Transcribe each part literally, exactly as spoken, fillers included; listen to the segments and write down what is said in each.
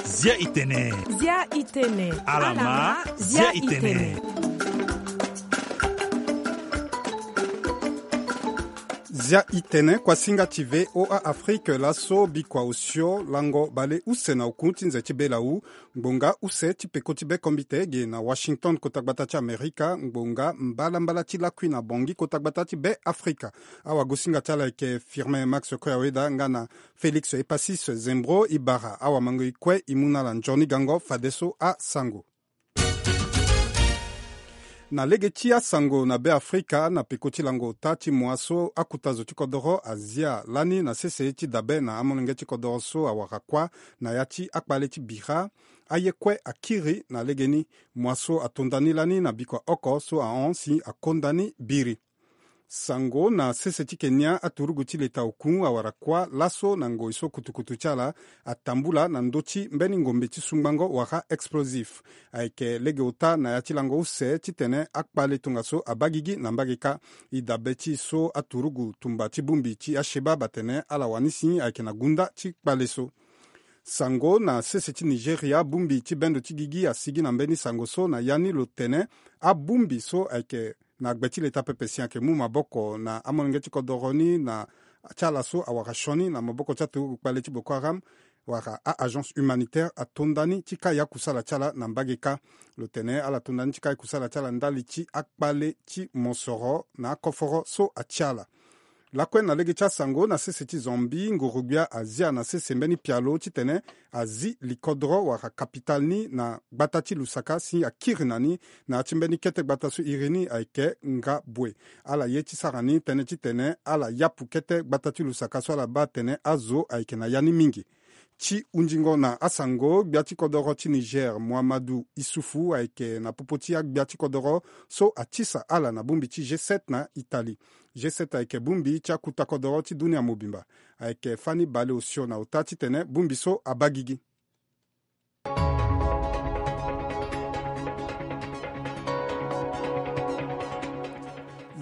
Zia itene. Zia itene. Alama, zia itene. Zia itene kuasinga ti V O A Afrique laso bikua osio lango bale use na oku ti nze ti bela wu. Ngbonga use ti peko ti be kombite ge na Washington kota gbata ti Amerika, ngbonga mbalambala ti lakui na Bangui kota gbata ti be Afrika. Awagosinga ti ala ayeke Firmin Max Koyaweda nga na Félix Epasis Zembro. E bara awamangoi kue e mu na ala nzoni gango fadeso asango. Na lege ti asango na Be Afrika, na peko ti lango ota ti mua so akuta zo ti kodoro azia lani na sese ti dabe na amolenge ti kodoro so awara kuâ na ya ti akpale ti bira, aye kue akiri na legeni. Mua so ato ndani lani na bikua oko so ahon si akonda ni biri. Sango na sese ti Kenya, aturugu ti leta oku awara kuâ laso na ngoi so kutukutu ti ala atambula na ndö ti mbeni ngombe ti sungbango wala explosif. Ayeke lege ota na ya ti lango use titene akpale tongaso abaa gigi na mbage kâ. E dabe ti e so aturugu tumba ti bongbi ti Al-Shabaab atene ala wani si ayeke na gunda ti kpale so. Sango na sese ti Nigeria, bongbi ti bendo ti gigi asigi na mbeni sango so na ya ni lo tene abongbi so ayeke na gbe ti leta pepe si ayeke mu maboko na amolenge ti kodoro ni na ti ala so awara sioni na maboko ti aturugu kpale ti Boko Haram wala a-agence humanitaire ato ndani ti kai akusala ti ala na mbage kâ. Lo tene ala to ndani ti kai kusala ti ala ndali ti akpale ti mosoro na akoforo so atia ala. Lakue na lege ti asango, na sese ti Zambie, nguru-gbia azia na sese mbeni pialo titene azi likodro wala kapitale ni na gbata ti Lusaka si akiri na ni na ya ti mbeni kete gbata so iri ni ayeke Ngabue. Ala ye ti sara ni tënë titene ala yapu kete gbata ti Lusaka so ala baa atene azo ayeke na ya ni mingi. Ti hunzingo na asango, gbia ti kodoro ti Niger, Muhammadu Issoufou, ayeke na popo ti agbia ti kodoro so atisa ala na bongbi ti G sept na Italie. G sept ayeke bongbi ti akuta kodoro ti dunia mobimba. Ayeke fani bale osio na ota titene bongbi so abaa gigi.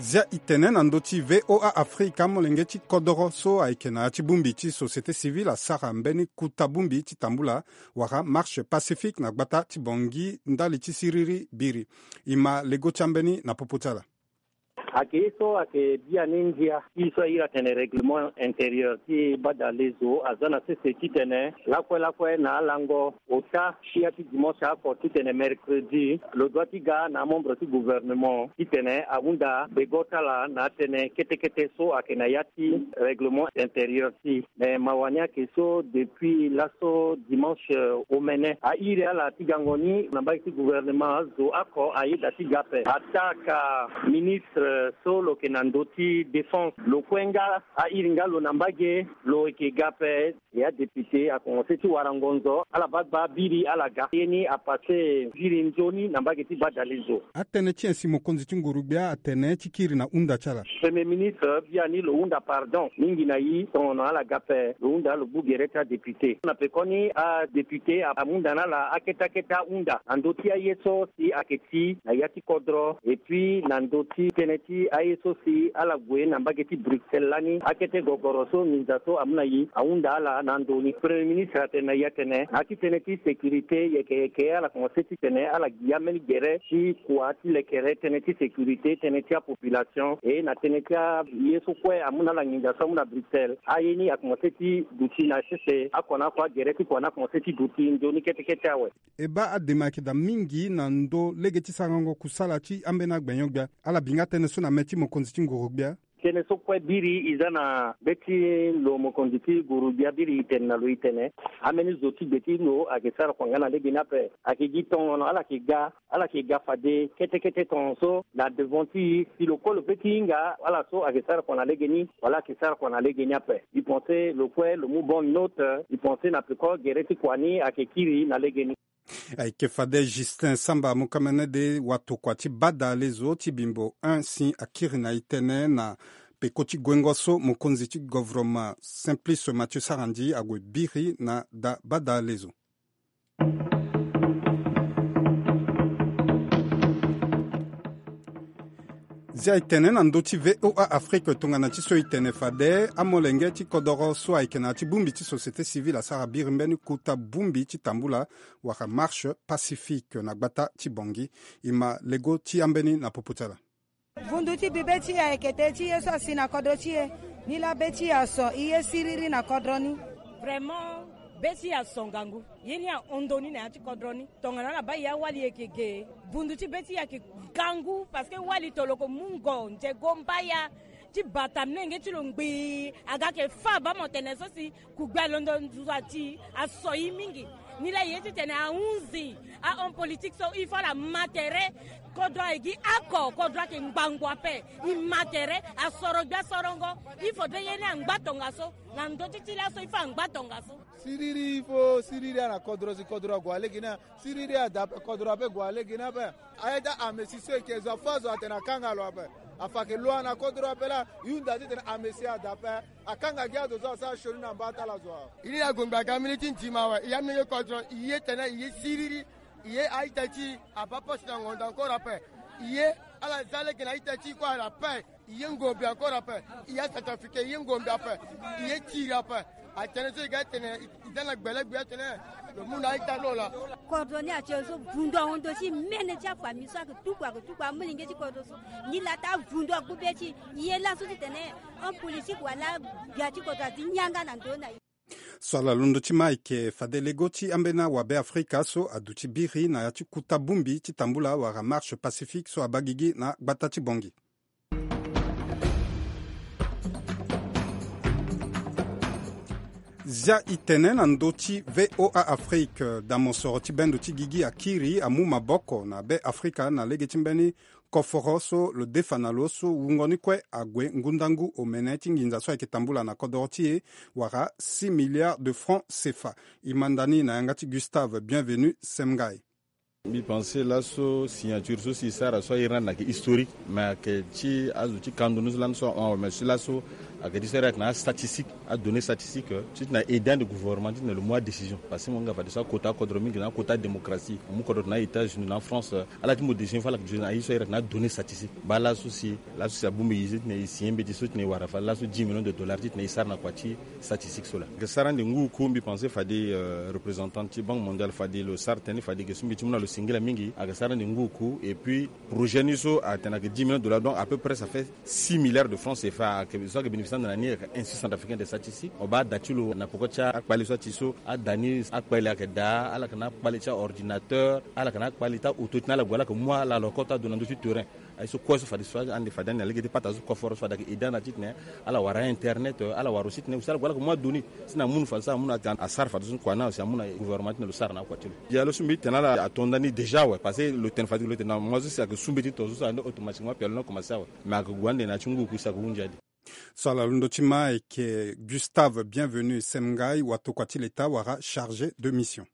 Zia e tene na ndö ti V O A Afrika, molenge ti kodoro so ayeke na ya ti bongbi ti société civile asara mbeni kuta bongbi ti tambula wala marche pacifique na gbata ti Bangui ndali ti siriri biri. E ma lego ti ambeni na popo ti ala. Ayeke ye so ayeke biani ndia ti so a iri atene règlement intérieur ti badalezo aza na sese titene lakue lakue na alango ota ti ya ti dimanche oko titene mercredi lo doit ti ga na amembre ti gouvernement titene ahunda bego ti ala na atënë kete kete so ayeke na ya ti règlement intérieur ti e. Me mawa ni ayeke so depuis laso dimanche omene a iri ala ti gango ni na mbage ti gouvernement, azo oko ayeda ti ga ape. Ataa ka ministre so lo yeke na ndö ti défense lo kue nga a iri nga lo na mbage lo yeke ga ape. E adéputé akomense ti wara ngonzo, ala baa gbaa biri ala ga. Ye ni apasse biri nzoni na mbage ti badalezo. Atënë ti nyen si mokonzi ti nguru-gbia atene ti kiri na hunda ti ala? Premier ministre biani lo hunda pardon mingi na e, tongono ala ga ape, lo hunda lo gbu gere ti adéputé. Na pekoni adéputé amu nda na ala akete akete ahunda na ndö ti aye so si ayeke ti na ya ti kodro, et puis na ndö ti tënë ti aye so si ala gue na mbage ti Bruxelles lani, akete gogoro so nginza so amu na e ahunda ala na ndö ni. Premier ministre atene na e atene na ya ti tënë ti sécurité, yeke yeke ala komanse titene ala gi ambeni gere ti kua ti lekere tënë ti sécurité, tënë ti apopulation, e na tënë ti aye so kue amu na ala nginza so amu na Bruxelles. Aye ni akomanse ti duti na sese, akua na akua agere ti kua ni akomanse ti duti nzoni kete kete awe. E baa adema ayeke daa mingi na ndö lege ti sarango kusala ti ambeni agbenyo-gbia. Ala bi nga tënë so na mê ti mokonzi ti nguru-gbia. Tënë so kue biri e za na be ti lo mokonzi ti nguru-gbia, biri e tene na lo e tene ambeni zo ti gbe ti lo ayeke sara kua nga na lege ni ape. Ayeke gi tongono ala yeke ga, ala yeke ga fade kete kete tongaso na devant ti e. Si lo kue lo pe ti hinga ala so ayeke sara kua na lege ni wala ayeke sara kua na lege ni ape. E pense lo kue lo mu bonne note. E pense na peko gere ti kua ni ayeke kiri na lege ni. Ayeke fade Justin Samba Mukamene de watokua ti badalezo ti Bimbo un si akiri na e tënë na peko ti guengo so mokonzi ti govroma Simplice Mathieu Sarandji ague biri na da badalezo. Zia e tene na ndö ti V O A Afrique tongana ti so e tene fade, amolenge ti kodoro so ayeke na ya ti bongbi ti société civile asara biri mbeni kota bongbi ti tambula wala marche pacifique na gbata ti Bangui. E ma lego ti ambeni na popo ti ala. Vundu ti bi be ti e ayeke te ti ye so asi na kodro ti e. Nilaa be ti e aso, e ye siriri na kodro ni. Vraiment, be ti e aso ngangu. Ye ni ahon ndo ni na ya ti kodro ni. Tongana ala baa e awali e yeke ge, vundu ti be ti e ayeke gangu, parce que wali toloko mungo nzego mbaya ti bata mlenge ti lo ngbii, aga ayeke fâ abaa mo tene so si kugbe alondo nduzu ati aso e mingi. Nilaa e ye titene ahunzi ahon politique so, il faut ala ma tere. Kodro ayeke gi oko, kodro ayeke ngbangbo ape. E ma tere, asoro gbia sorongo. Il faudrait ye ni angba tongaso na ndö ti ti laso, il faut angba tongaso. Siriri, il faut siriri ana kodro si kodro ague alege ni. Siriri ada ape, kodro ape gue alege ni ape. Aye ti amesi so e yeke zo afâ zo atene akanga lo ape. Afa ayeke lo ana kodro ape laa, e hunda titene amesi ada ape. Akanga gi azo so asara sioni na mbata ala zo awe. E ni na gongbe aga mbeni ti nzima awe, e amenge kodro, e ye tene e ye siriri. E ye a-ita ti e abaa poste na ngondo encore ape. E ye ala za lege na a-ita ti e kue ala ape. E ye ngombe encore ape. E ye acentrafricain, e ye ngombe ape. E ye tiri ape. Atene so e ga tene e za na gbele gbe atene lo mu na a-ita ti lo laa. Kodro ni atie so vundu ahon ndo ti mene ti afamille so ayeke tuku, ayeke tuku amolenge ti kodro so. Nilaa taa vundu agbu be ti e. E ye laso titene ahon politique wala gbia ti kodro azi yanga na ndö na e. So ala londo ti ma ayeke fade lego ti ambeni awabe Afrika so aduti biri na ya ti kota bongbi ti tambula wala marche pacifique so abaa gigi na gbata ti Bangui. Zia e tene na ndö ti V O A Afrique, da mosoro ti bendo ti gigi akiri amu maboko na be Afrika na lege ti mbeni koforo so lo defa na lo so wungo ni kue ague ngundangu omene ti nginza so ayeke tambula na kodoro ti e wala six milliards de francs C F A. E manda ni na yanga ti Gustave Bienvenu Semngai. Mbi pense laso signature so si e sara so airi ni ayeke historique, mais ayeke ti azo ti kando ni so lani so ahon awe, mais si laso ayeke ti so airi ayeke na astatistique, adonnée statistique, ti tene aide ande gouvernement ti tene lo mu adécision. Parce que mo nga fadeso akota akodro mingi na akota démocratie, mo mu kodro tene a-États-Unis na France, ala ti mo décision fo ala yeke décision na aye so airi ayeke na adonnée statistique. Baa laso si, laso si abongbi e zi titene e signé mbeti so titene e wara fade laso dix millions de dollars titene e sara na kua ti statistique so laa. Ayeke sara ande ngu oku, mbi pense fade, euh, représentant ti Banque mondiale fade lo sara tënë ni fade ge so mbeti mu na lo singila mingi, ayeke sara ande ngu oku. Et puis projet ni so atene ayeke dix millions de dollars, donc à peu près ça fait six milliards de francs C F A ayeke so ayeke bénéficier ande na ni. Ayeke Institut centrafricain des statistiques. Mo baa ada ti lo na peko ti akpale so ati so, ada ni akpale ayeke daa, ala yeke na akpale ti aordinateur, ala yeke na akpale ti aauto titene ala gue ala yeke mu ala lo kota ado na ndö ti terrain. Aye so kue so fadeso ande fade ande na lege ti pata so koforo so fade ayeke aide ande titene ala wara internet, ala wara aussi titene aussi ala gue ala yeke mu adonnée. Si na amunu fadeso amunu ati asara fadeso kua ni si amunu gouvernement titene lo sara na akua ti lo. Dialo so mbi tene ala ato nda ni déjà awe, parce que lo tene fade lo tene na mo so si ayeke su mbeti to so so ande automatiquement pialo ni akomanse awe. Mais ayeke gue ande na ya ti ngu oku si ayeke hunzi ade. So ala londo ti ma ayeke Gustave Bienvenu Semngai, watokua ti leta wala chargé de mission.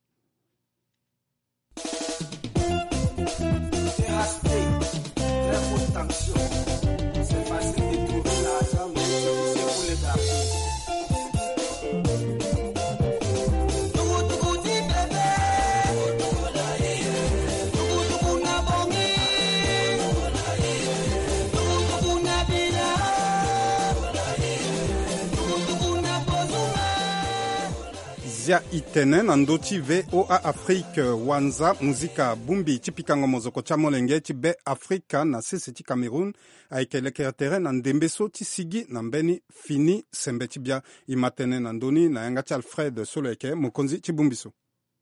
Zia e tene na ndö ti V O A Afrique, wanza muzika bongbi ti pikango mozoko ti amolenge ti Be Afrika na sese ti Cameroun ayeke lekere tere na ndembe so ti sigi na mbeni fini sembe ti bia. E ma tene na ndö ni na yanga ti Alfred so lo yeke mokonzi ti bongbi so.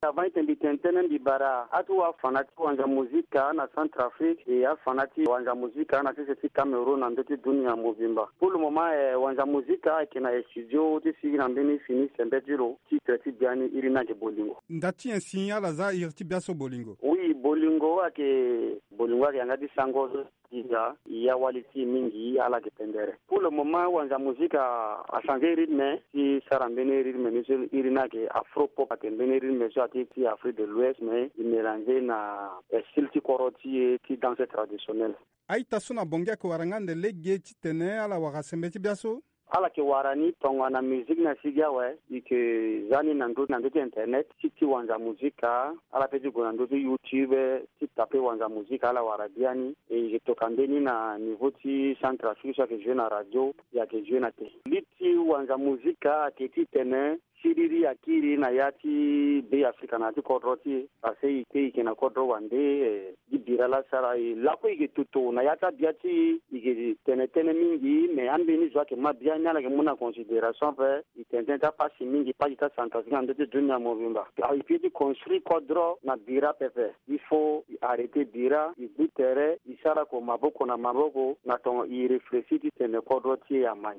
Avant ete mbi tene tënë, mbi bara atu afana ti wanza muzika na Centrafrique e afana ti wanza muzika na sese ti Cameroun na ndö ti dunia mobimba. Pour le moment, eh, wanza muzika ayeke na studio ti sigi na mbeni fini sembe ti lo. Titre ti bia ni iri ni ayeke Bolingo. Nda ti nyen si ala za iri ti bia so Bolingo? Oui, Bolingo ayeke, Bolingo ayeke yanga ti sango so ti za e awali ti e mingi, ala yeke pendere. Pour le moment, wanza muzika achanger rythme ti sara mbeni rythme ni so iri ni ayeke afro pop, ayeke mbeni rythme so ati ti Afrique de l'Ouest, mais e mélanger na, eh, style ti koro ti e ti danse traditionnel. A-ita so na Bangui ayeke wara nga ande lege titene ala wara sembe ti bia so? Ala yeke wara ni tongana musique ni asigi awe, e yeke za ni na ndö, na ndö ti internet, ti, ti wanza musique, ala pe ti gue na ndö ti YouTube, ti tape wanza musique, ala wara biani. E yeke toka mbeni na niveau ti Centrafrique so ayeke jouer na radio, e yeke jouer na télé. Li ti wanza musique ayeke titene siriri akiri na ya ti Be Afrika na ya ti kodro ti e. Parce que e te e yeke na kodro wande, eh, gi bira laa asara e lakue e yeke toto na ya ti abia ti e, e yeke tene tënë mingi, mais ambeni zo ayeke ma biani ala yeke mu na considération ape. E tene tënë ti apasi mingi, pasi ti aCentrafrique na ndö ti dunia mobimba. Alors, e peut ti construire kodro na bira pepe. Il faut e arrêter bira, e gbu tere, e sara ko maboko na maboko, na tongo e réfléchir titene kodro ti e amai.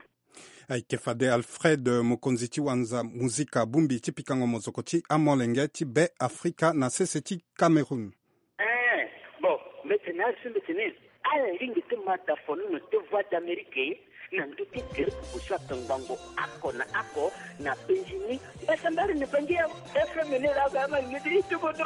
Ayeke fade Alfred, mokonzi ti wanza muzika bongbi ti pikango mozoko ti amolenge ti Be Afrika na sese ti Cameroun. Eh, bon, mbi tene azo, mbi tene ala lingbi ti ma dafo nono ti Voix d'Amérique na ndö ti gere pupu so ayeke ngbangbo oko na oko na penzi ni. Mbasambara ni bangi ya F M ni laa, ama ni ti tukutu.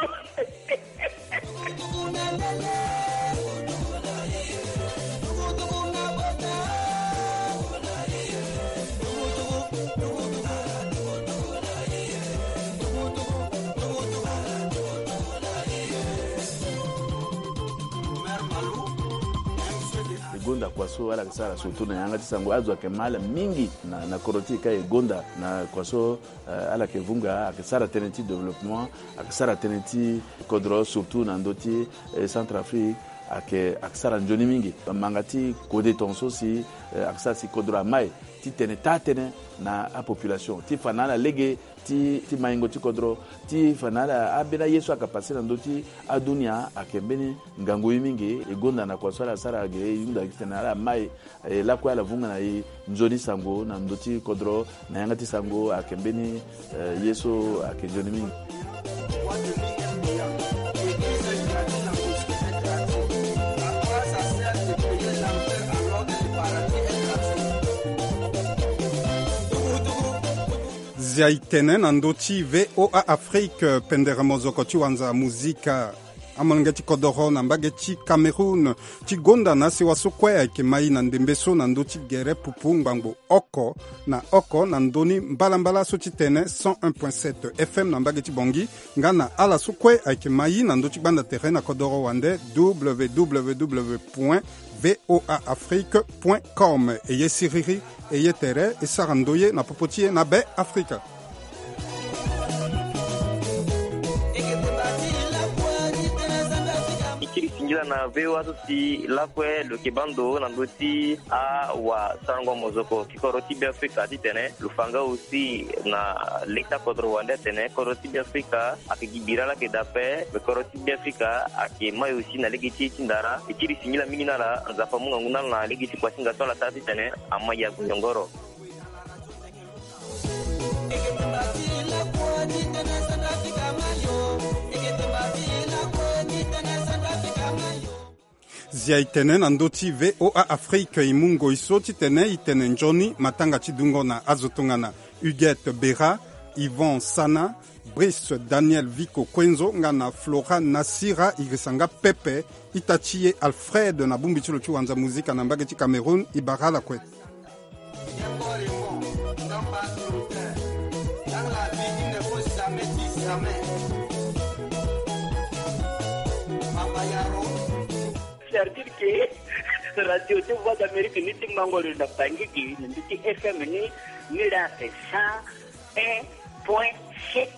E gonda kua so ala yeke sara surtout na yanga ti sango, azo ayeke ma ala mingi na, na kodro ti e ka e gonda na kua so, eh, ala yeke vunga, ayeke sara tënë ti développement, ayeke sara tënë ti kodro, surtout na ndö ti, eh, Centrafrique, ayeke, ayeke sara nzoni mingi. Manga ti kode tongaso si, eh, ayeke sara si kodro amai ti tene taa tënë na apopulation, ti fa na ala lege ti, ti maingo ti kodro, ti fa na ala ambeni aye so ayeke pase na ndö ti adunia, ayeke mbeni ngangu ye mingi. E gonda na kua so ala sara ge, e hunda titene ala mai, e lakue ala vunga na e nzoni sango na ndö ti kodro, na yanga ti sango ayeke mbeni, eh, ye so ayeke nzoni mingi. Zia e tene na ndö ti V O A Afrique, pendere mozoko ti wanza muzika. Amolenge ti kodoro na mbage ti Cameroun ti gonda na asewa so kue ayeke mai na ndembe so na ndö ti gere pupu ngbangbo oko na oko na ndö ni mbalambala so ti tene cent un point sept F M na mbage ti Bangui, nga na ala so kue ayeke mai na ndö ti gbanda tere na kodoro wande, W W W point V O A Afrique point com. E ye siriri, e ye tere, e sara ndoye na popo ti e na Be Afrika. E kiri singila na V O A so si lakue lo yeke baa ndo na ndö ti awasarango mozoko ti kodro ti Be Afrika titene lo fa nga aussi na lege ti akodro wande atene kodro ti Be Afrika ayeke gi bira laa ayeke daa ape, me kodro ti Be Afrika ayeke mai aussi na lege ti e ti ndara. E kiri singila mingi na ala, Nzapa amu ngangu na ala na lege ti kuasinga so ala sara titene amai ague nyongoro. Zia e tene na ndö ti V O A Afrique, e mu ngoi so titene e tene nzoni matanga ti dungo na azo tongana Huguette Bera, Yvon Sana, Brice Daniel Vico Kuenzo, nga na Flora Nasira Irisanga Pepe, ita ti e Alfred na bongbi ti lo ti wanza muzika na mbage ti Cameroun, e bara ala kue. C'est-à-dire que radio ti Voix d'Amérique ni ti mango lo na Bangui gi na ndö ti F M ni, ni la fait cent un point sept.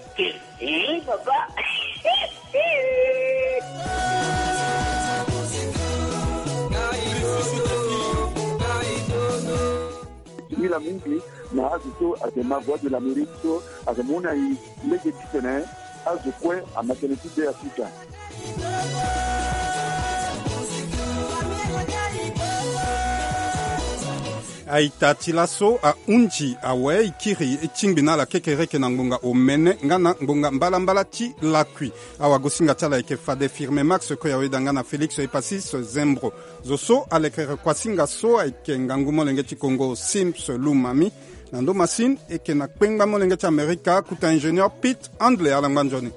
Eh, papa. Singila mingi na azo so ayeke ma Voix de l'Amérique so ayeke mu na e lege titene azo kue ama tënë ti Be Afrika. Aita ti laso ahunzi awe e kiri e tingbi na ala kekereke na ngbonga omene nga na ngbonga mbalambala ti lakui. Awagosinga ti ala ayeke fade Firme Max Koyaoeda nga na Félix Epasis Zembro. Zo so alekere kuasinga so ayeke ngangu molenge ti Kongo Sims Lumami. Na ndo masini e yeke na kpengba molenge ti Amerika, kota ingénieur Pete Handley. Ala ngba nzoni.